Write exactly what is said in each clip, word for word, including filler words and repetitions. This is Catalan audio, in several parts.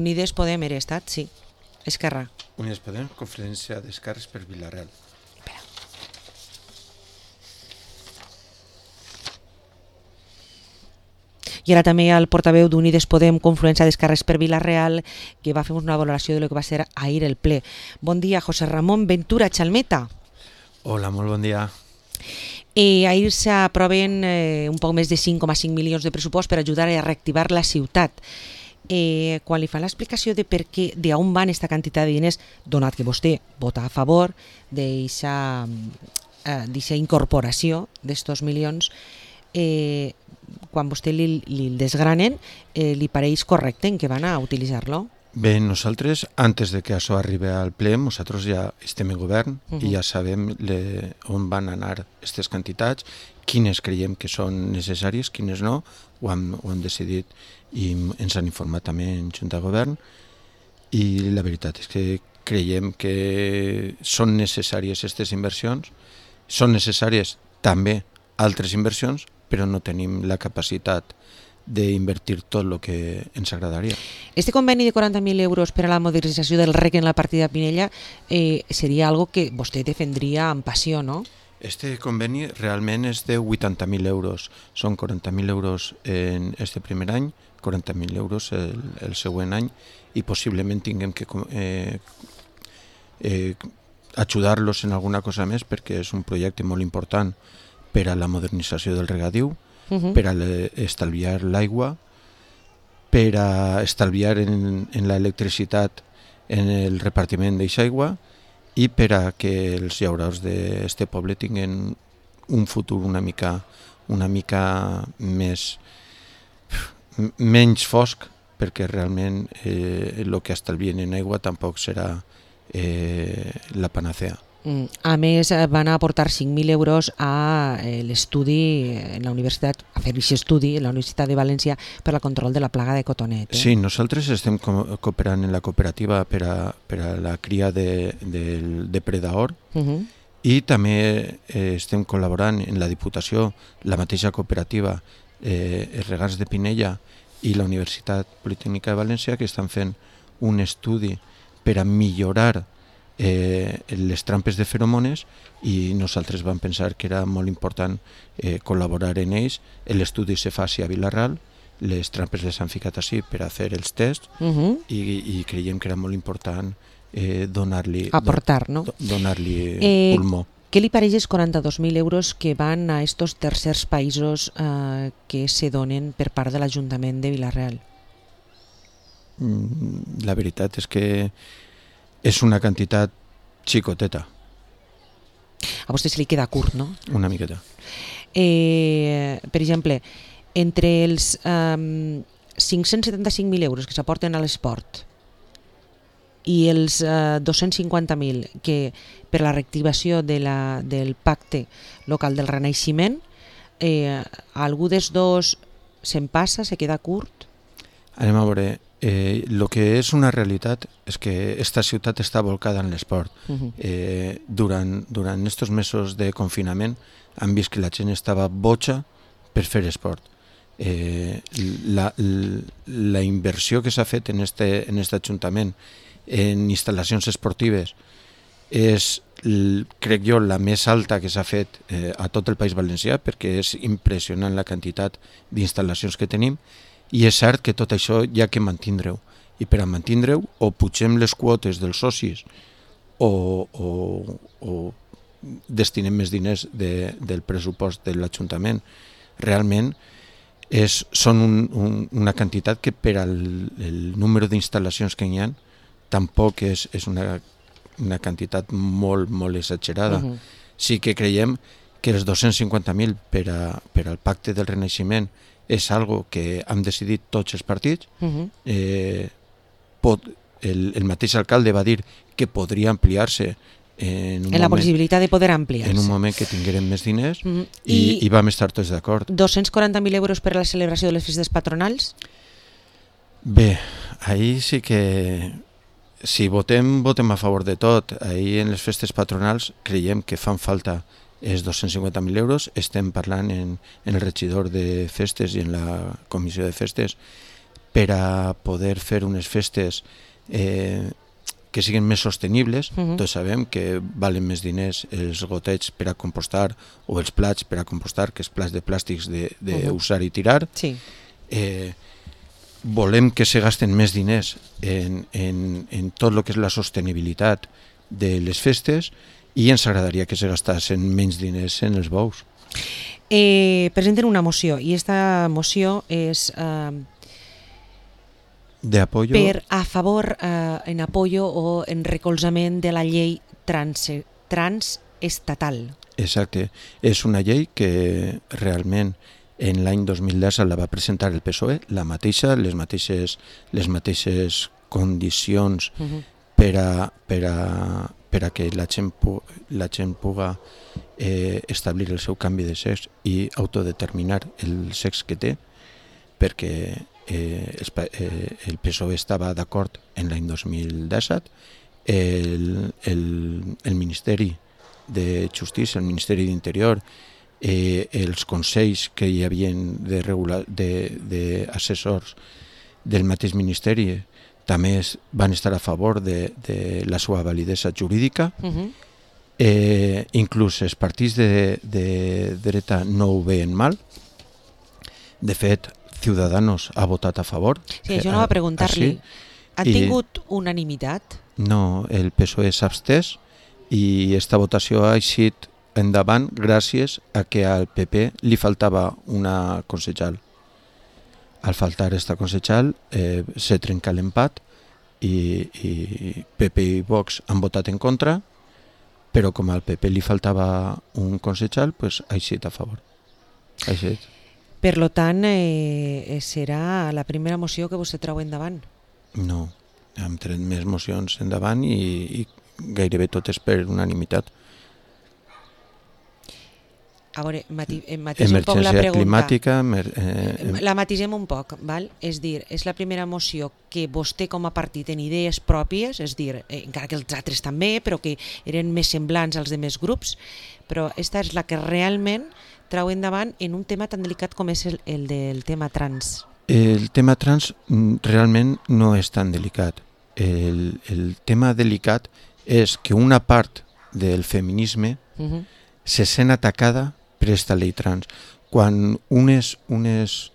Unides Podem era estat, sí. Esquerra. Unides Podem, conferència d'esquerres per Vila-real. Espera. I ara també el portaveu d'Unides Podem, confluència d'esquerres per Vila-real, que va fer una valoració de lo que va ser ahir el ple. Bon dia, José Ramón Ventura Chalmeta. Hola, molt bon dia. Eh, ahir s'aproven eh, un poc més de cinc coma cinc milions de pressupost per ajudar a reactivar la ciutat. Eh, quan li fan l'explicació de per què, d'on van aquesta quantitat de diners, donat que vostè vota a favor d'aquesta eh, incorporació d'estos milions, eh, quan vostè li, li desgranen, eh, li pareix correcte en què van a utilitzar-lo? Bé, nosaltres, antes de que això arribi al ple, nosaltres ja estem en govern uh -huh. i ja sabem le, on van anar aquestes quantitats, quines creiem que són necessàries, quines no, ho hem, ho hem decidit i ens han informat també en Junta de Govern, i la veritat és que creiem que són necessàries aquestes inversions, són necessàries també altres inversions, però no tenim la capacitat d'invertir tot el que ens agradaria. Este conveni de quaranta mil euros per a la modernització del R E C en la partida Pinella eh, seria algo que vostè defendria amb passió, no? Este conveni realment és de vuitanta mil euros. Són quaranta mil euros en este primer any, quaranta mil euros el, el següent any, i possiblement tinguem que eh, eh, ajudar-los en alguna cosa més, perquè és un projecte molt important per a la modernització del regadiu, Uh-huh. per a estalviar l'aigua, per a estalviar en, en l'electricitat en el repartiment d'aquesta aigua i per a que els llauradors d'aquest poble tinguin un futur una mica, una mica més menys fosc, perquè realment eh, el que estalvien en aigua tampoc serà eh, la panacea. A més, van aportar cinc mil euros a l'estudi en la universitat, a fer aquest estudi en la Universitat de València per al control de la plaga de cotonet. Eh? Sí, nosaltres estem cooperant en la cooperativa per a, per a la cria de, del depredador uh-huh. i també eh, estem col·laborant en la Diputació, la mateixa cooperativa, eh, els Regants de Pinella i la Universitat Politècnica de València, que estan fent un estudi per a millorar Eh, les trampes de feromones, i nosaltres vam pensar que era molt important eh, col·laborar en ells. L'estudi se faci a Vila-real, les trampes les han ficat així per a fer els tests uh-huh. i, i creiem que era molt important eh, donar-li aportar, no? do, donar-li eh, pulmó. Què li pareix els quaranta-dos mil euros que van a estos tercers països eh, que se donen per part de l'Ajuntament de Vila-real? Mm, la veritat és que és una quantitat xicoteta. A vostè se li queda curt, no? Una miqueta. Eh, per exemple, entre els eh, cinc-cents setanta-cinc mil euros que s'aporten a l'esport i els eh, dos-cents cinquanta mil que per la reactivació de la, del pacte local del Renaixement, eh, algú dels dos se'n passa, se queda curt? Anem a veure. Eh, lo que és una realitat és que esta ciutat està volcada en l'esport. Uh-huh. Eh, durant, durant estos mesos de confinament han vist que la gent estava boja per fer esport. Eh, la, la, la inversió que s'ha fet en este, en este ajuntament en instal·lacions esportives és, crec jo, la més alta que s'ha fet eh, a tot el País Valencià, perquè és impressionant la quantitat d'instal·lacions que tenim. I és cert que tot això hi ha que mantindre-ho. I per a mantindre-ho, o pugem les quotes dels socis o, o, o destinem més diners de, del pressupost de l'Ajuntament. Realment és, són un, un, una quantitat que per al el número d'instal·lacions que hi ha tampoc és, és una, una quantitat molt, molt exagerada. Uh-huh. Sí que creiem que els dos-cents cinquanta mil per, a, per al pacte del Renaixement és algo que han decidit tots els partits. Uh-huh. eh, pot, el, el mateix alcalde va dir que podria ampliar-se en, un en la moment, possibilitat de poder ampliar-se. En un moment que tinguérem més diners uh-huh. i, I, i vam estar tots d'acord. dos-cents quaranta mil euros per a la celebració de les festes patronals? Bé, ahir sí que si votem, votem a favor de tot. Ahir en les festes patronals creiem que fan falta és dos-cents cinquanta mil euros. Estem parlant en, en el regidor de festes i en la comissió de festes per a poder fer unes festes eh, que siguin més sostenibles. Uh -huh. Tots sabem que valen més diners els gotets per a compostar o els plats per a compostar que els plats de plàstics d'usar uh -huh. i tirar. Sí. Eh, volem que se gasten més diners en, en, en tot el que és la sostenibilitat de les festes i ens agradaria que se gastassen menys diners en els bous. Eh, presenten una moció i aquesta moció és eh, de apoyo per a favor, eh, en apoyo o en recolzament de la llei trans, transestatal. Exacte, és una llei que realment en l'any dos mil deu la va presentar el P S O E, la mateixa, les mateixes, les mateixes condicions uh -huh. per, a, per, a, per a que la gent, pu, la gent puga eh, establir el seu canvi de sexe i autodeterminar el sexe que té, perquè eh, el, eh, el P S O E estava d'acord en l'any dos mil disset, el, el, el Ministeri de Justícia, el Ministeri d'Interior, eh, els consells que hi havia de regular, de, de assessors del mateix Ministeri també van estar a favor de, de la seva validesa jurídica. Uh-huh. eh, inclús els partits de, de dreta no ho veien mal. De fet, Ciudadanos ha votat a favor. Sí, això no va preguntar-li. Han tingut unanimitat? No, el P S O E s'ha abstès i aquesta votació ha eixit endavant gràcies a que al P P li faltava una consellal. Al faltar esta consellal eh, se trenca l'empat i, i P P i Vox han votat en contra, però com al P P li faltava un consellal, pues, ha eixit a favor. Ha eixit. Per lo tant, eh, serà la primera moció que vostè treu endavant? No, hem tret més mocions endavant i, i gairebé totes per unanimitat. A veure, mati, matisem un poc la Emergència pregunta. climàtica... Mer, eh, la matisem un poc, val? És dir, és la primera moció que vostè com a partit en idees pròpies, és dir, eh, encara que els altres també, però que eren més semblants als demés grups, però esta és la que realment trau endavant en un tema tan delicat com és el, el del tema trans. El tema trans realment no és tan delicat. El, el tema delicat és que una part del feminisme uh-huh. se sent atacada per aquesta llei trans. Quan unes, unes,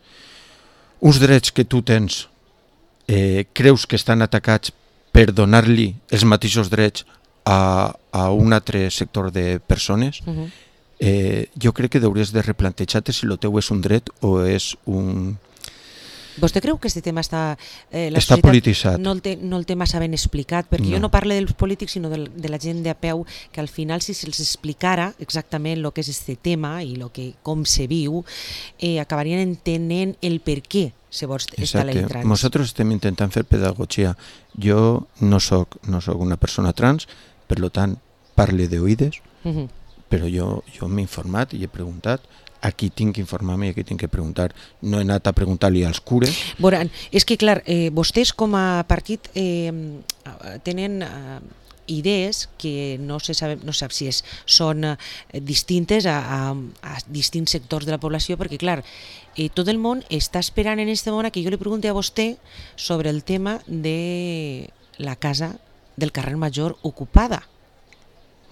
uns drets que tu tens eh, creus que estan atacats per donar-li els mateixos drets a, a un altre sector de persones, uh-huh. eh, jo crec que hauries de replantejar-te si el teu és un dret o és un... Vostè creu que aquest tema està... Eh, la està polititzat. No el, té, no el té massa ben explicat, perquè no. jo no parlo dels polítics, sinó de, de la gent de a peu, que al final si se'ls explicara exactament el que és aquest tema i lo que, com se viu, eh, acabarien entenent el per què se vol estar la trans. Nosaltres estem intentant fer pedagogia. Jo no soc, no soc una persona trans, per tant, parle d'oïdes, uh-huh. però jo, jo m'he informat i he preguntat. Aquí tinc que informar-me i aquí tinc que preguntar. No he anat a preguntar-li als cures. Veurà, és que, clar, eh, vostès com a partit eh, tenen eh, idees que no se sap, no sap si és, són eh, distintes a, a, a distints sectors de la població, perquè, clar, eh, tot el món està esperant en aquest moment que jo li pregunti a vostè sobre el tema de la casa del carrer Major ocupada.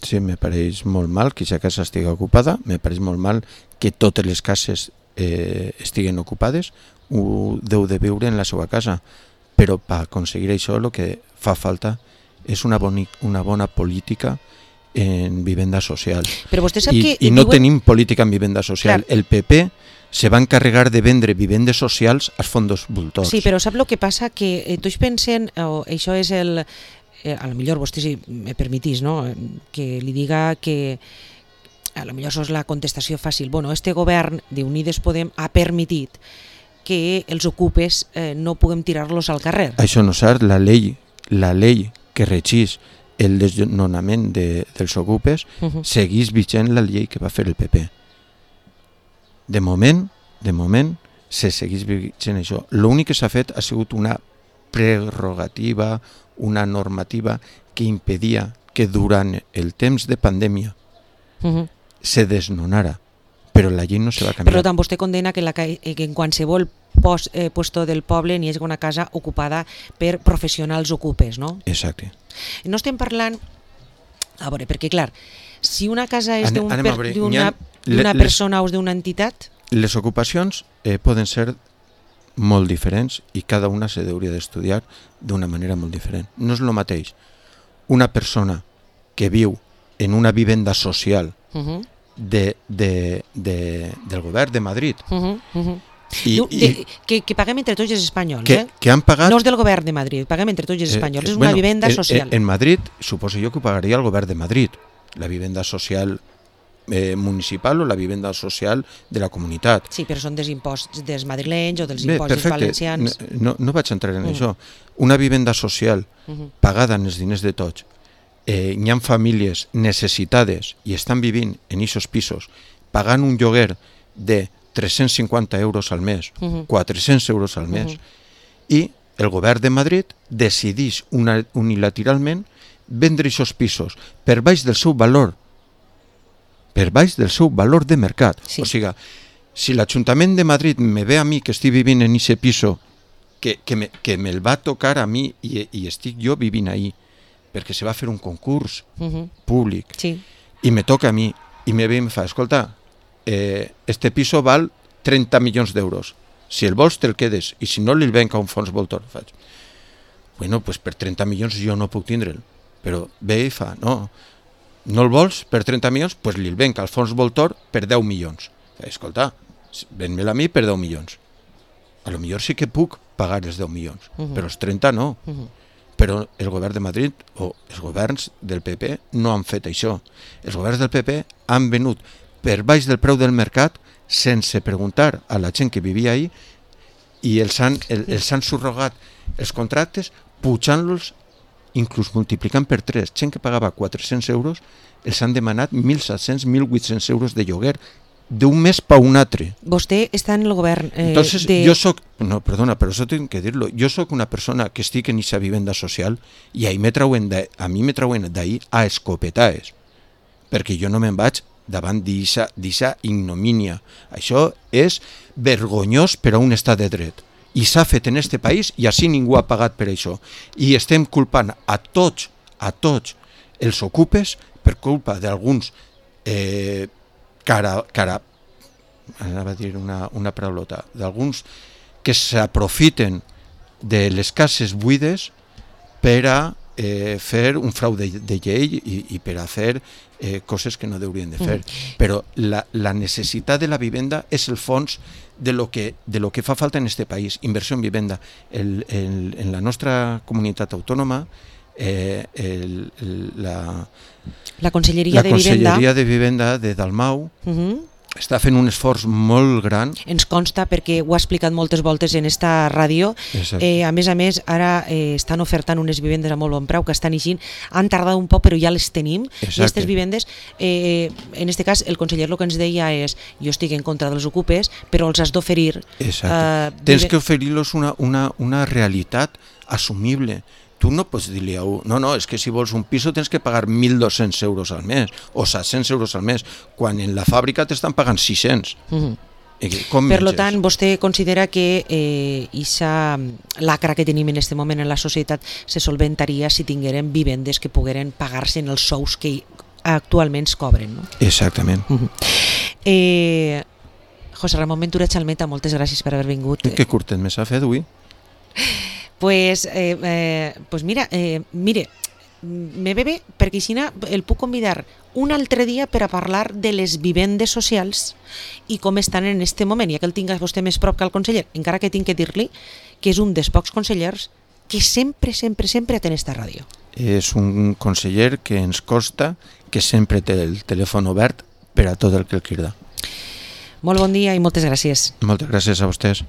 Sí, me pareix molt mal que aquesta casa estigui ocupada, me pareix molt mal que totes les cases eh, estiguen ocupades, ho deu de viure en la seva casa, però per aconseguir això el que fa falta és una, boni, una bona política en vivenda social. Però vostè sap I, que... I no diuen... tenim política en vivenda social. Clar. El P P se va encarregar de vendre vivendes socials als fondos voltors. Sí, però sap el que passa? Que eh, tots pensen, oh, això és el... Eh, a lo millor vostè, si me permitís, no? Que li diga que a lo millor això és la contestació fàcil. Bueno, este govern d'Unides Podem ha permitit que els ocupes eh, no puguem tirar-los al carrer. Això no és cert. La llei, la llei que regeix el desnonament de, dels ocupes uh-huh. segueix vigent la llei que va fer el P P. De moment, de moment, se segueix vigent això. L'únic que s'ha fet ha sigut una prerrogativa, una normativa que impedia que durant el temps de pandèmia uh-huh. se desnonara, però la llei no se va canviar. Per tant, vostè condena que, la, que en qualsevol post, eh, puesto del poble n'hi hagi una casa ocupada per professionals ocupes, no? Exacte. No estem parlant... A veure, perquè clar, si una casa és Anem, d'una anem a veure, per, n'hi ha- d'una les- persona o és d'una entitat... Les ocupacions eh, poden ser molt diferents i cada una se hauria d'estudiar d'una manera molt diferent. No és el mateix una persona que viu en una vivenda social Uh -huh, de, de, de, del govern de Madrid uh -huh, uh -huh. i, Diu, i de, que, que paguem entre tots els espanyols, que, eh? que han pagat... No és del govern de Madrid, paguem entre tots els espanyols, eh, és una bueno, vivenda en, social. En, en Madrid, suposo jo que ho pagaria el govern de Madrid, la vivenda social eh, municipal o la vivenda social de la comunitat. Sí, però són dels imposts dels madrilenys o dels Bé, imposts perfecte, valencians. no, no vaig entrar en Mm. això. Una vivenda social Uh -huh. pagada en els diners de tots, eh, hi ha famílies necessitades i estan vivint en aquests pisos pagant un lloguer de tres-cents cinquanta euros al mes, Uh -huh. quatre-cents euros al mes, Uh -huh. i el govern de Madrid decideix una, unilateralment vendre aquests pisos per baix del seu valor, per baix del seu valor de mercat. Sí. O sigui, si l'Ajuntament de Madrid me ve a mi que estic vivint en aquest piso, que, que, me, que me'l va tocar a mi i, i estic jo vivint ahí, perquè se va fer un concurs Uh -huh. públic, Sí. i me toca a mi, i me ve i me fa, escolta, eh, este piso val trenta milions d'euros, si el vols te'l quedes, i si no li'l venc a un fons voltor. Faig, bueno, pues per trenta milions jo no puc tindre'l, però ve i fa, no, no el vols per trenta milions, pues li'l venc al fons voltor per deu milions. Faig, escolta, ven-me'l a mi per deu milions. A lo millor sí que puc pagar els deu milions, Uh -huh. però els trenta no. Uh -huh. Però el govern de Madrid o els governs del P P no han fet això. Els governs del P P han venut per baix del preu del mercat sense preguntar a la gent que vivia ahí i els han, el, els han subrogat els contractes pujant-los, inclús multiplicant per tres. Gent que pagava quatre-cents euros els han demanat mil set-cents, mil vuit-cents euros de lloguer d'un mes pa un altre. Vostè està en el govern eh, Entonces, de... yo soy, no, perdona, pero eso tengo que decirlo, yo soy una persona que estic en esa vivenda social i ahí me trauen de, a mi me trauen d'ahí a escopetaes, perquè jo no me'n vaig davant d'eixa ignomínia. Això és vergonyós per a un estat de dret. I s'ha fet en este país i així ningú ha pagat per això. I estem culpant a tots, a tots els ocupes per culpa d'alguns eh, cara, cara, anava a dir una, una paraulota, d'alguns que s'aprofiten de les cases buides per a eh, fer un frau de, de llei i, i per a fer eh, coses que no haurien de fer. Mm. Però la, la necessitat de la vivenda és el fons de lo que, de lo que fa falta en este país, inversió en vivenda. El, el, en la nostra comunitat autònoma eh, el, el, la, la Conselleria, la de, Conselleria Vivenda. de Vivenda de Dalmau Uh -huh. està fent un esforç molt gran. Ens consta perquè ho ha explicat moltes voltes en esta ràdio. Eh, a més a més, ara eh, estan ofertant unes vivendes a molt bon preu que estan eixint. Han tardat un poc, però ja les tenim. Exacte. I aquestes vivendes, eh, en este cas, el conseller el que ens deia és jo estic en contra dels ocupes, però els has d'oferir. Exacte. Eh, Tens que oferir-los una, una, una realitat assumible. Tu no pots dir-li a un, no, no, és que si vols un piso tens que pagar mil dos-cents euros al mes o set-cents euros al mes, quan en la fàbrica t'estan pagant sis-cents. Uh -huh. Com per lo tant, vostè considera que eh, aquesta lacra que tenim en aquest moment en la societat se solventaria si tingueren vivendes que pogueren pagar-se en els sous que actualment es cobren, no? Exactament. Uh -huh. eh, José Ramon Ventura Chalmeta, moltes gràcies per haver vingut. Que curtet més ha fet avui? Pues, eh, eh, pues mira, eh, mire, me ve bé perquè així el puc convidar un altre dia per a parlar de les vivendes socials i com estan en este moment, ja que el tinc a vostè més prop que el conseller, encara que tinc que dir-li que és un dels pocs consellers que sempre, sempre, sempre atén esta ràdio. És un conseller que ens costa que sempre té el telèfon obert per a tot el que el crida. Molt bon dia i moltes gràcies. Moltes gràcies a vostès.